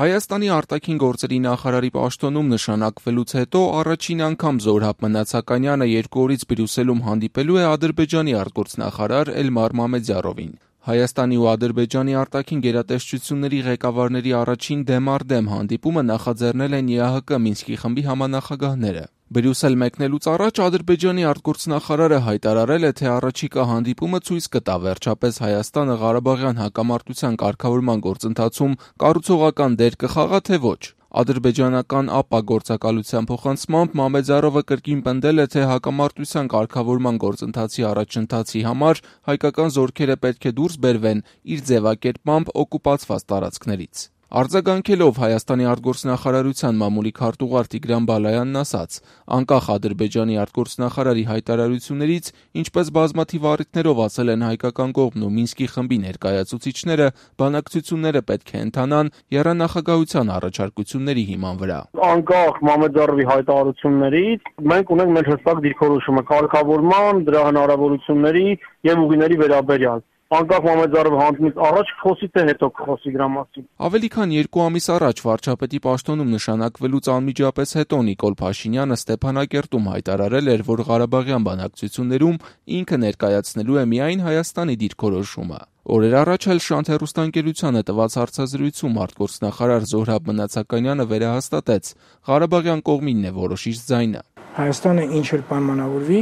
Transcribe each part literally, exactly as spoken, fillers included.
Հայաստանի արտաքին գործերի նախարարի պաշտոնում նշանակվելուց հետո առաջին անգամ Զորհաբ Մնացականյանը երկու օրից Բրյուսելում հանդիպելու է Ադրբեջանի արտգործնախարար Էլմար Մամեդյարովին։ Հայաստանի ու Ադրբեջանի արտաքին գերատեսչությունների ղեկավարների առաջին դեմ առ դեմ հանդիպումը նախաձեռնել են ԵԱՀԿ Մինսկի խմբի համանախագահները։ Բրյուսել մեկնելուց առաջ Ադրբեջանի արտգործնախարարը հայտարարել է, թե առաջիկա հանդիպումը ցույց կտա վերջապես Հայաստանը Ղարաբաղյան հակամարտության կարգավորման գործընթացում կառուցողական դեր կխաղա, թե ոչ։ Ադրբեջանական ԱՊԱ գործակալության փոխանցմամբ Մամեդյարովը կրկին պնդել է, թե հակամարտության կարգավորման գործընթացի առաջընթացի համար հայկական զորքերը պետք է դուրս բերվեն իր ձևակերպմամբ օկուպացված տարածքներից։ Արձագանքելով Հայաստանի արտգործնախարարության մամուլի քարտուղար Տիգրան Բալայանն ասաց. անկախ Ադրբեջանի արտգործնախարարի հայտարարություններից, ինչպես բազմաթիվ առիթներով ասել են հայկական կողմն ու Մինսկի խմբի ներկայացուցիչները, բանակցությունները պետք է ընթանան եռանախագահության առաջարկությունների հիման վրա։ Անկախ Մամեդյարովի հայտարարություններից մենք ունենք մեր հստակ դիրքորոշումը կարգավորման, դրա հնարավորությունների եւ ուղիների վերաբերյալ։ Անկախ Մամեդյարովը հանդիպումից առաջ խոսի, թե հետո խոսի դրա մասին։ Ավելի քան երկու ամիս առաջ վարչապետի պաշտոնում նշանակվելուց անմիջապես հետո Նիկոլ Փաշինյանը Ստեփանակերտում հայտարարել էր, որ Ղարաբաղյան բանակցություններում ինքը ներկայացնելու է միայն Հայաստանի դիրքորոշումը։ Օրեր առաջ էլ Շանթ հեռուստաընկերությանը տված հարցազրույցում արտգործնախարար Զորհաբ Մնացականյանը վերահաստատեց. Ղարաբաղյան կողմինն է որոշիչ ձայնը։ Հայաստանը ինչ էլ պայմանավորվի,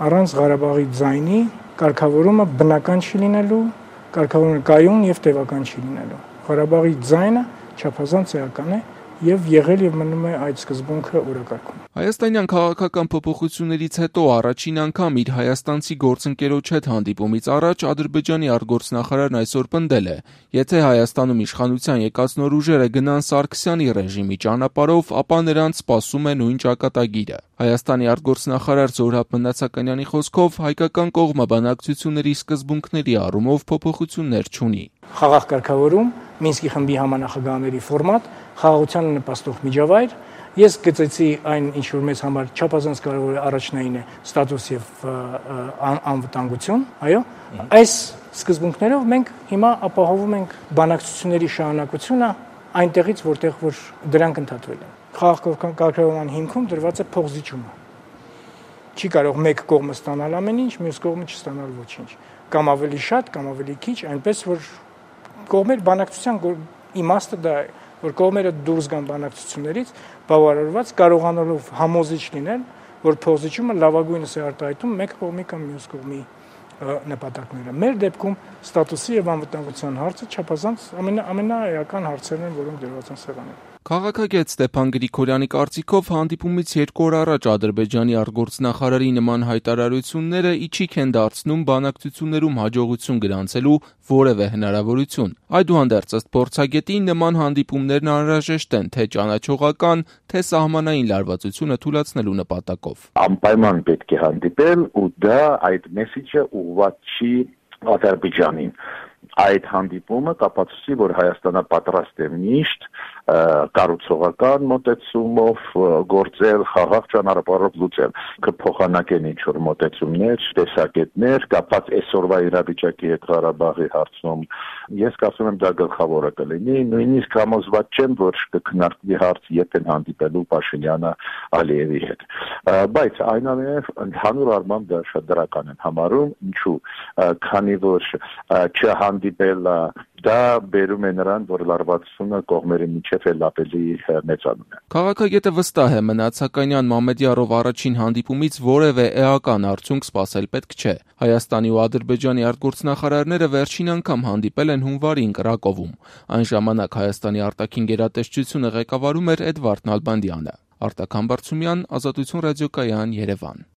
առանց Ղարաբաղի ձայնի կարգավորումը բնական չի լինելու, կարգավորումը կայուն եւ տևական չի լինելու։ Ղարաբաղի ձայնը չափազանց էական է եւ եղել եւ մնում է այդ սկզբունքը օրակարգում։ Հայաստանյան քաղաքական փոփոխություններից հետո առաջին անգամ իր հայաստանցի գործընկերոջ հետ հանդիպումից առաջ Ադրբեջանի արտգործնախարարն այսօր պնդել է. եթե Հայաստանում իշխանության եկած նոր ուժերը գնան Սարգսյանի ռեժիմի ճանապարհով, ապա նրանց սպասում է նույն ճակատագիրը։ Հայաստանի արտգործնախարար Զորհաբ Մնացականյանի խոսքով հայկական կողմը բանակցությունների սկզբունքների առումով փոփոխություններ չունի։ Խաղաղ կարգավորում, Մինսկի խմբի համանախագահների ֆորմատ, խաղաղությանը նպաստող միջավայր։ Ես գծեցի այն, ինչ որ մեզ համար չափազանց կարևոր առաջնային է ստատուս եւ անվտանգություն, այո։ Այս սկզբունքներով մենք հիմա ապահովում ենք բանակցությունների շարունակությունը այնտեղից, որտեղ որ դրանք ընդհատվել են։ Խաղաղ կարգավորման հիմքում դրված է փոխզիջումը։ Չի կարող մեկ կողմը ստանալ ամեն ինչ, մյուս կողմը չստանալ ոչինչ։ Կամ ավելի շատ, կամ ավելի քիչ, այնպես որ կողմեր բանակցության իմաստը դա է, որ կողմերը դուրս գան բանակցություններից բավարարված կարողանալով համոզիչ լինել, որ փոխզիջումը լավագույնս է արտահայտում մեկ կողմի կամ մյուս կողմի նպատակները։ Մեր դեպքում ստատուսի եւ անվտանգության հարցը չափազանց ամենաէական հարցերն են, որոնք դրված են սեղանին։ Քաղաքագետ Ստեփան Գրիգորյանի կարծիքով հանդիպումից երկու օր առաջ Ադրբեջանի արտգործնախարարի նման հայտարարությունները իջիկ են դարձնում բանակցություններում հաջողություն գրանցելու որևէ հնարավորություն։ Այդուհանդերձ ըստ փորձագետի նման հանդիպումներն անհրաժեշտ են թե ճանաչողական, թե սահմանային լարվածությունը թույլատնելու նպատակով։ Անպայման պետք է հանդիպել ու դա այդ մեսիջը ուղղված չի Ադրբեջանին։ Այդ հանդիպումը կապացուցի, որ Հայաստանը պատրաստ է միշտ կառուցողական մոտեցումով գործել, խաղաղ ճանապարհով լուծել, կփոխանակեն ինչ-որ մոտեցումներ, տեսակետներ, կապած այսօրվա իրավիճակի հետ Ղարաբաղի հարցում։ Ես կարծում եմ դա գլխավորը կլինի, նույնիսկ համոզված չեմ, որ կքննարկվի հարց երբ են հանդիպելու Փաշինյանը Ալիևի հետ։ Բայց այնուամենայնիվ ընդհանուր առմամբ դա շատ դրական են համարում, ինչու, քանի որ չհանդիպել դա բերում է նրան, որ լարվածությունը կողմերի միջև էլ ավելի մեծանում է։ Քաղաքագետը վստահ է, Մնացականյան Մամեդյարով առաջին հանդիպումից որևէ էական արդյունք սպասել պետք չէ։ Հայաստանի ու Ադրբեջանի արտգործնախարարները վերջին անգամ հանդիպել են հունվարին Կրակովում։ Այն ժամանակ Հայաստանի արտաքին գերատեսչությունը ղեկավարում էր Էդվարդ Նալբանդյանը։ Արտակ Համբարձումյան, Ազատություն ռադիոկայան, Երևան։